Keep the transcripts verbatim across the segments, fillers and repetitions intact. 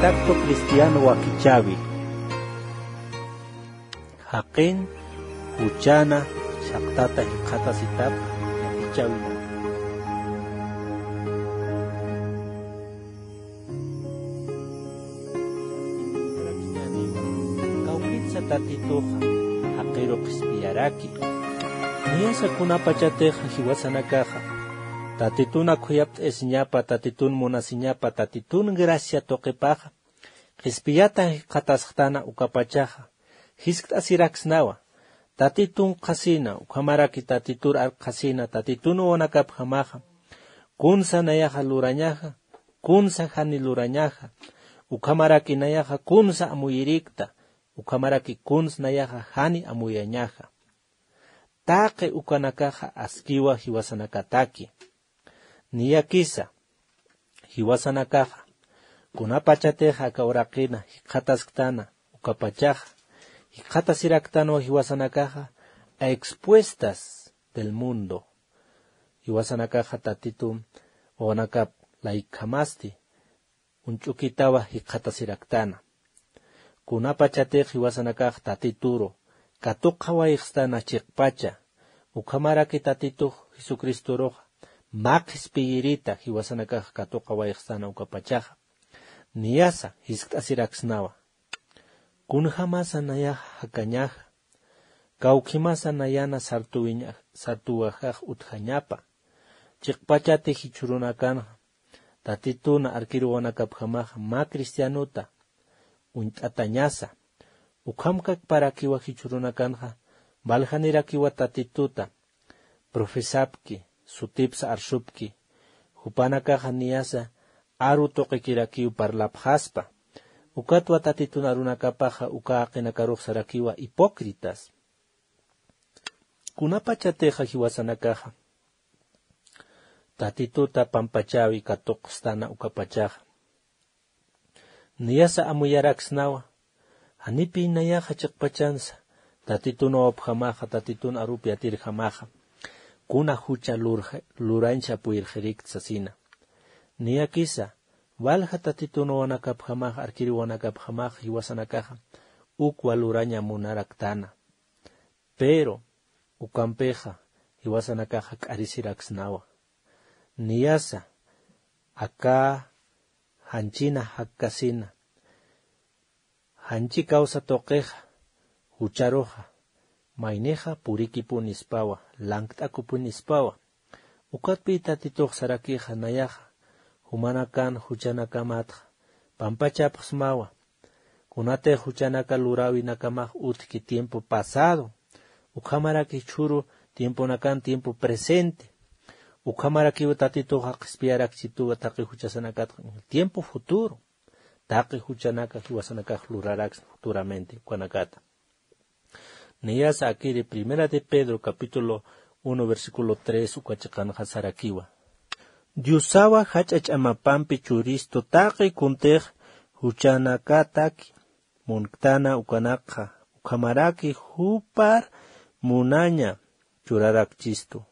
Acto cristiano wakichäwi. Jaqin juchana chhaqtata jikxatasitapa wakichäwinaka. Kawkitsa Tatituxa jaqiru qhispiyaraki. Niyasa kunapachatixa jiwasanakaxa Tatitun khuyapt'ayasiñapa, Tatitun munasiñapa, Tatitun gracia tuqipaxa qhispiyata jikxatasxtana ukapachaxa jiskt'asiraksnawa. Tatitun qhasina, ukhamaraki Tatitur arkxasina, Tatitun wawanakapjamaxa kunsa nayaxa lurañaxa, kunsa jani lurañaxa, ukhamaraki nayaxa kunsa amuyirikta, ukhamaraki kuns nayaxa jani amuyañaxa. Taqi ukanakaxa askiwa jiwasanakataki. Niyakisa jiwasanakaxa kunapachatixa aka uraqina jikxatasktana ukapachaxa jikxatasiraktanaw jiwasanakaxa a expuestas del mundo. Jiwasanakaxa Tatitu wawanakap laykjamasti uñch'ukitawa jikxatasiraktana. Kunapachatix jiwasanakax Tatituru katuqawayxstana chiqpacha, ukhamaraki Tatitux Jesucristoruxa mä qhispiyirita jiwasanakax katuqawayxstana ukapachaxa. Niyasa jiskt'asiraksnawa. Kunjamasa nayaxa jakañaxa, kawkhimasa nayana sartuwiña-, sartuwajax utjañapa. Chiqpachati jichhürunakanxa Tatituna arkiruwanakapjamaxa mä cristianota uñt'atañasa. Ukhamkakparakiwa jichhürunakanxa valjanirakiwa Tatituta profesapki, sutipsa arsupki, jupanakaxa niyasa aru tuqikirakiw parlapxaspa. Ukatwa Tatitun arunakapaxa uka jaqinakarux sarakiwa hipócritas. Kunapachatixa jiwasanakaxa Tatituta pampachäwi katuqstana ukapachaxa, niyasa amuyaraksnawa, janipï nayaxa chiqpachansa Tatitun wawapjamaxa, Tatitun arupi atirjamaxa kuna jucha lurja-, lurañsa puyirxirikta sasina. Niyakisa walja Tatitun wawanakapjamaxa, arkiruwanakapjamaxa jiwasanakaxa ukwa luraña munaraktana. Pero ukampixa jiwasanakaxa k'arisiraksnawa. Niyasa aka janchina jakkasina, janchi kawsa tuqixa, jucharuxa, maynixa purikipunispawa, lankt'akupunispawa. Ukatpï Tatitux sarakixa nayaxa jumanakan juchanakamatxa pampachapxsmawa. Kunatix juchanaka luräwinakamax utjki tiempo pasado, ukhamaraki jichhüru tiemponakan tiempo presente, ukhamarakiw Tatituxa qhispiyarakchituwa taqi juchasanakatxa tiempo futuro, taqi juchanaka jiwasanakax luraraksna futuramente ukanakata. Niyasa akiri Primera de Pedro capítulo uno versículo tres uka chiqanxa sarakiwa. Diosawa jach'a ch'amapampi churistu taqi kuntix juchanakataki munktana ukanakxa, ukhamaraki jupar munaña churarakchistu.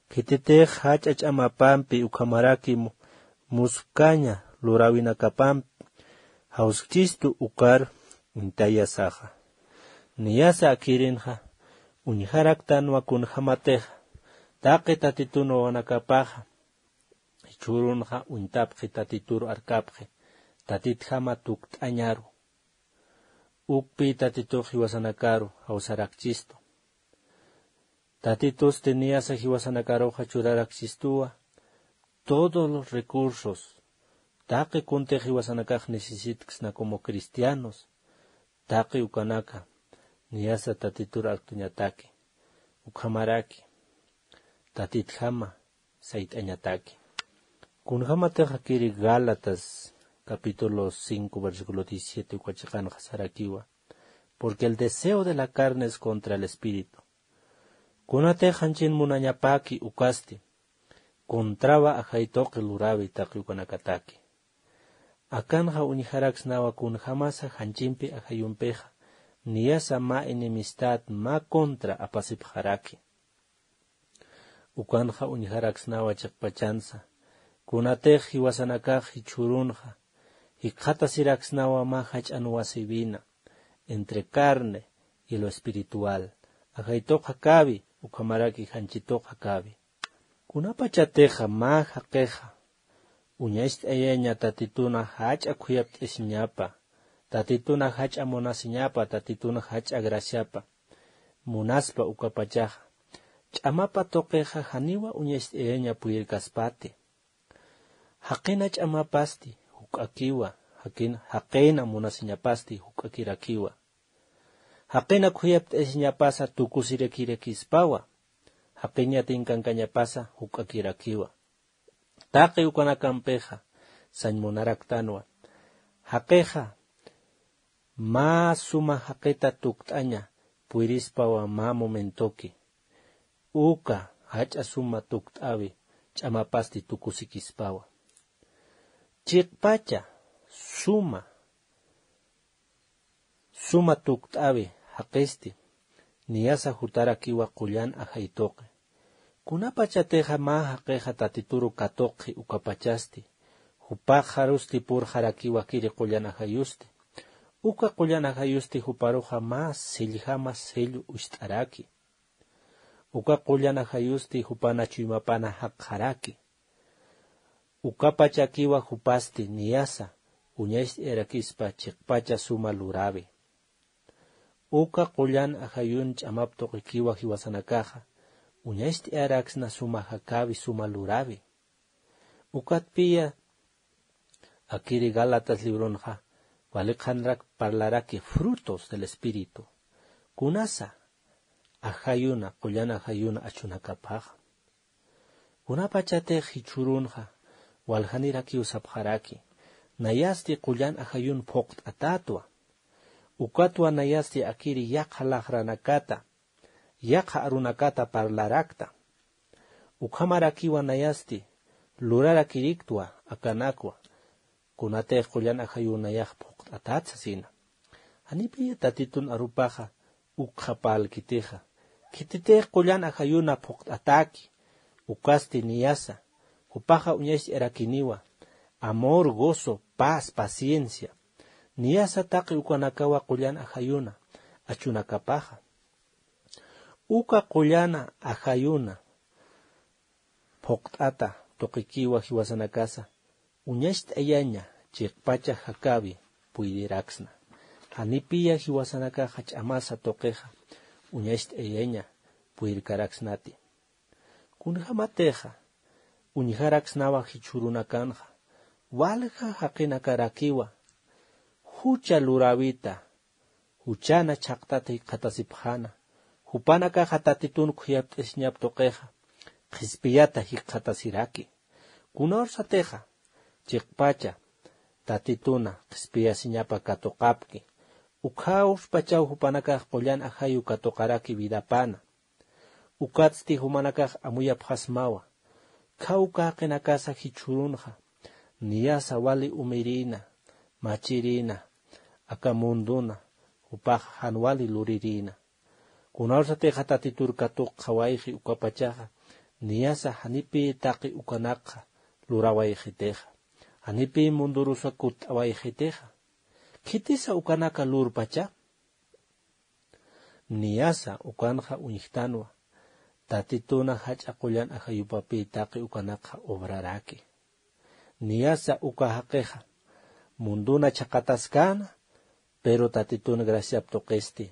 Khititix jach'a ch'amapampi ukhamaraki mu-, muskaña luräwinakapampi jawskchistu ukar uñtayasaxa. Niyasa akhirinxa uñjaraktanwa kunjamatixa taqi Tatitun wawanakapaxa jichhürunxa uñtapxi, Tatitur arkapxi, Tatitjama tukt'añaru. Ukpï Tatitux jiwasanakaru jawsarakchistu. Tatitusti niyasa jiwasanakaruxa churaraksistuwa todos los recursos, taqi kuntix jiwasanakax necesitksna como cristianos, taqi ukanaka niyasa Tatitur arktuñataki, ukhamaraki Tatitjama sayt'añataki. Kunjamatix akiri Gálatas capítulo cinco versículo diecisiete uka chiqanxa sarakiwa: Porque el deseo de la carne es contra el espíritu. Kunatix janchin munañapaki ukasti, contrawa ajay tuqi luräwi taqi ukanakataki. Akanxa uñjaraksnawa kunjamasa janchimpi ajayumpixa niyasa mä enemistad, mä contra apasipxaraki. Ukanxa uñjaraksnawa chiqpachansa, kunatix jiwasanakax jichhürunxa jikxatasiraksnawa mä jach'an wasïwina, entre carne y lo espiritual, ajaytuq jakäwi ukhamaraki janchituq jakäwi. Kunapachatixa mä jaqixa uñacht'ayaña Tatituna jach'a khuyapt'isiñapa, Tatituna jach'a munasiñapa, Tatituna jach'a graciapa munaspa ukapachaxa, ch'amapa tuqixa janiwa uñacht'ayaña puyirkaspati. Jaqina ch'amapasti juk'akiwa, jaqin-, jaqina munasiñapasti juk'akirakiwa. Jaqina khuyapt'ayasiñapasa tukusirakirakirispawa, jaqiñatin kankañapasa juk'akirakiwa. Taqi ukanakampixa sañ munaraktanwa, jaqixa mä suma jaqita tukt'aña puyirispawa mä momentoki. Uka jach'a suma tukt'äwi ch'amapasti tukusikispawa. Chiqpacha suma, suma tukt'äwi jaqisti niyasa jutarakiwa qullan ajay tuqi. Kunapachatixa mä jaqixa Tatituru katuqxi ukapachasti, jupaxarusti purxarakiwa akiri qullan ajayusti. Uka qullan ajayusti juparuxa mä selljama sello ucht'araki. Uka qullan ajayusti jupana chuymapana jaqxaraki. Ukapachakiwa jupasti niyasa uñacht'ayarakispa chiqpacha suma luräwi. Uka qullan ajayun ch'amap tuqikiwa jiwasanakaxa uñacht'ayaraksna suma jakäwi, suma luräwi. Ukatpiya akiri Gálatas librunxa wali qhanrak parlaraki frutos del Espíritu. Kunasa ajayuna, qullan ajayuna achunakapaxa. Kunapachatix jichhürunxa waljanirakiw sapxaraki, nayasti qullan ajayun phuqt'atätwa. Ukatwa nayasti akiri yaqha laxranakata, yaqha arunakata parlarakta. Ukhamarakiwa nayasti lurarakiriktwa akanakwa, kunatix qullan ajayun nayax phuqt'atat sasina. Janipiya Tatitun arupaxa ukxapälkitixa. Khititix qullan ajayuna phuqt'ataki, ukasti niyasa, jupaxa uñacht'ayarakiniwa amor, gozo, paz, paciencia. Niyasa taqi ukanakawa qullan ajayuna achunakapaxa. Uka qullan ajayuna phuqt'ata tuqikiwa jiwasanakasa uñacht'ayaña chiqpacha jakäwi puydiraksna. Janipiya jiwasanakaxa ch'amasa tuqixa uñacht'ayaña puyrkaraksnati. Kunjämatixa uñjaraksnawa jichhürunakanxa, walja jaqinakarakiwa jucha luräwita, juchana chhaqtata jikxatasipxäna, jupanakaxa Tatitun khuyapt'asiñap tuqixa qhispiyata jikxatasiraki. Kunawsatixa chiqpacha Tatituna qhispiyasiñapa katuqapki, ukhawspachaw jupanakax qullan ajayu katuqaraki vidapana. Ukatsti jumanakax amuyapxasmawa, khawka jaqinakasa jichhürunxa niyasa wali umirïna, machirïna, aka munduna, jupax jan wali lurirïna. Kunawsatixa Tatitur katuqxawayxi ukapachaxa, niyasa janipï taqi ukanakxa lurawayxitixa, janipï mundurusa kutt'awayxitixa. Khitisa ukanaka lurpacha? Niyasa ukanxa uñjtanwa, Tatituna jach'a qullan ajayupapï taqi ukanakxa obraraki. Niyasa uka jaqixa munduna chhaqataskäna, pero Tatitun graciap tuqisti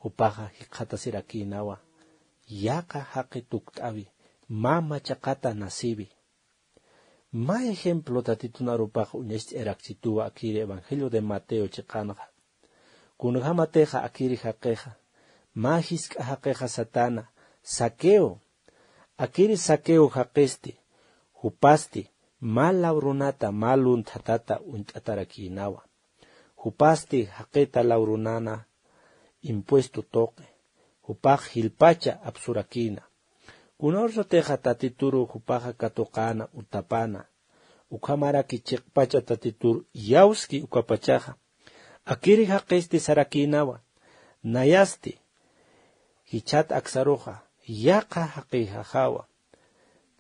jupaxa jikxatasirakïnawa yaqha jaqi tukt'äwi, mama chhaqata nasiwi. Mä ejemplo Tatitun arupax uñacht'ayarakchituwa akiri Evangelio de Mateo chiqanxa. Kunjämatixa akiri jaqixa mä jisk'a jaqixa satäna, Zaqueo. Akiri Zaqueo jaqisti, jupasti mä law runata, mä lunthatata uñt'atarakïnawa. Jupasti jaqita law runana impuesto tuqi, jupax jilpacha apsurakïna. Kunawsatixa Tatituru jupaxa katuqäna, utapana, ukhamaraki chiqpacha Tatitur iyawski ukapachaxa, akiri jaqisti sarakïnawa, nayasti jichhat aksaruxa yaqha jaqixaxawa,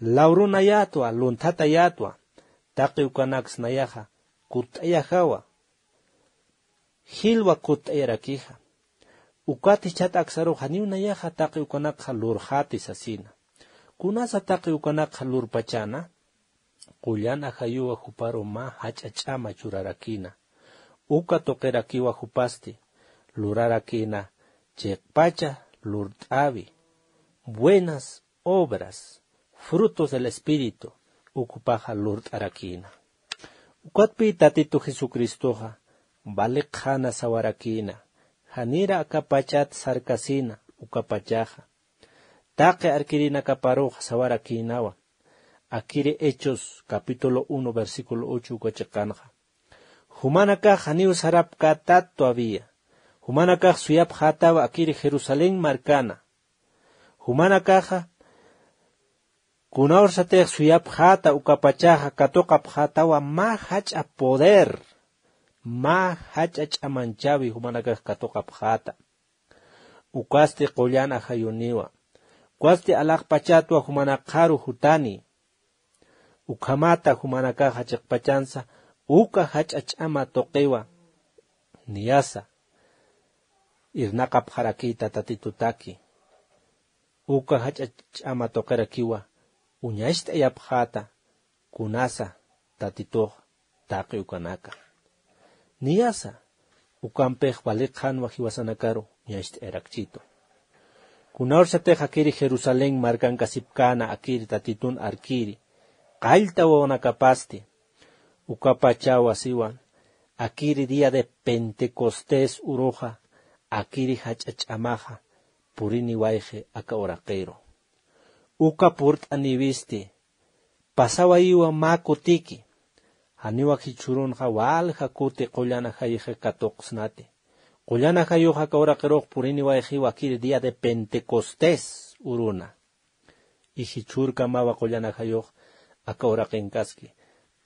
law runayätwa, lunthatayätwa, taqi ukanaks nayaxa kutt'ayajawa. Jilwa kutt'ayarakixa. Ukat jichhat aksarux janiw nayaxa taqi ukanakxa lurxäti sasina. Kunasa taqi ukanakxa lurpachäna? Qullan ajayuwa juparu mä jach'a ch'ama churarakïna. Uka tuqirakiwa jupasti lurarakïna chiqpacha lurt'äwi, buenas obras, frutos del Espíritu, ukpaxa lurt'arakïna. Ukatpï Tatitu Jesucristoxa vali qhana sawarakïna, janira aka pachat sarkasina uka pachaxa. Taqi arkirinakaparuxa sawarakïnawa. Akiri Hechos capítulo uno versículo ocho uka chiqanxa. Jumanakax janiw sarapkätat todavía. Jumanakax suyapxätawa akiri Jerusalén markana. Jumanakaxa kunawrsatix suyapxäta uka pachaxa katuqapxätawa mä jach'a poder, mä jach'a ch'amanchäwi jumanakax katuqapxäta. Ukasti qullan ajayuniwa. Ukasti alaxpachatwa jumanakxaru jutani. Ukhamata jumanakaxa chiqpachansa uka jach'a ch'ama tuqiwa niyasa irnaqapxarakïta Tatitutaki. Uka jach'a ch'ama tuqirakiwa uñacht'ayapxäta kunasa Tatitux taqi ukanaka. Niyasa ukampix vali qhanwa jiwasanakaru uñacht'ayarakchitu. Kunawrsatix akiri Jerusalén markankasipkäna akiri Tatitun arkiri qallta wawanakapasti. Uka pachawa siwa akiri día de Pentecostés uruxa akiri jach'a ch'amaxa puriniwayxi aka uraqiru. Uka purt'aniwisti pasawayiwa mä kutiki. Janiwa jichhürunxa walja kuti qullan ajayixi katuqsnati. Qullan ajayux aka uraqirux puriniwayxiwa akiri día de Pentecostés uruna. Y jichhürkamawa qullan ajayux aka uraqinkaski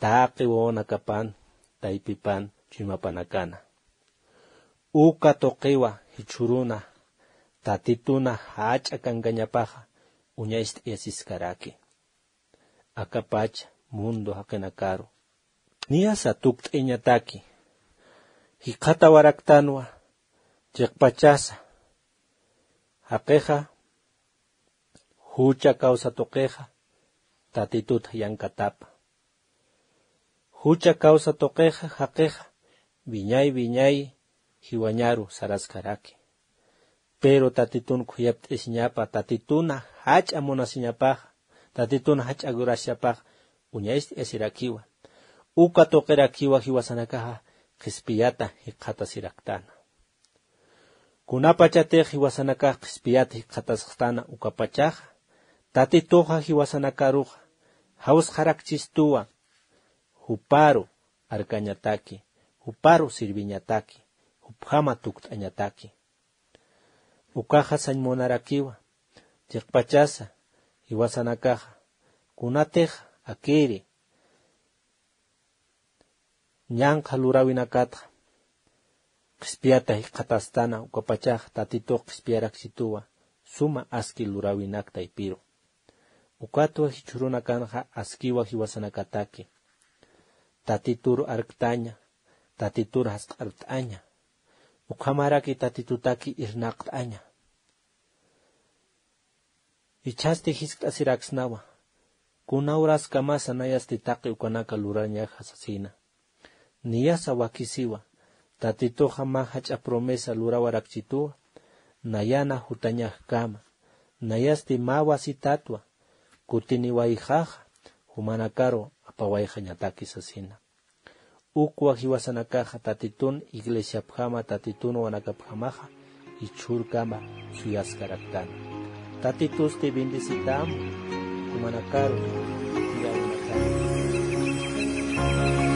taqi wawanakapan, taypipan, chuymapanakana. Uka tuqiwa jichhüruna Tatituna jach'a kankañapaxa uñacht'ayasiskaraki. Aka pacha mundo jaqinakaru niyasa tukt'ayañataki jikxatawaraktanwa chiqpachasa. Jaqixa jucha kawsa tuqixa Tatitut yankatapa. Jucha kawsa tuqixa jaqixa wiñay wiñay jiwañaru saraskaraki. Pero Tatitun khuyapt'isiñapa, Tatituna jach'a munasiñapaxa, Tatituna jach'a graciapaxa uñacht'ayasirakiwa. Uka tuqirakiwa jiwasanakaxa qhispiyata jikxatasiraktana. Kunapachatix jiwasanakax qhispiyat jikxatasxtana ukapachaxa, Tatituxa jiwasanakaruxa jawsqarakchistuwa, juparu arkañataki, juparu sirviñataki, jupjama tukt'añataki. Ukaxa sañ munarakiwa, chiqpachasa jiwasanakaxa, kunatix akiri ñanqha luräwinakatxa qhispiyata jikxatastana, ukapachax Tatitux qhispiyarakchituwa suma aski luräwinak taypiru. Ukatwa jichhürunakanxa askiwa jiwasanakataki. Tatitur arktaña, Tatitur jasq'art'aña. Ukhamaraki Tatitutaki irnaqt'aña. Jichhasti jiskt'asiraksnawa, kuna uraskamasa nayasti taqi ukanaka lurañaxa sasina. Niyasa wakisiwa, Tatituxa mä jach'a promesa lurawarakchituwa, nayana jutañaxkama, nayasti mä wasitatwa, kutiniwayxaxa, jumanakaru apawayxañataki sasina. Ukwa jiwasanakaxa Tatitun iglesiapjama, Tatitun wawanakapjamaxa jichhürkama suyaskaraktana. Tatitusti bendecitam, jumanakaru, tiyawinakama.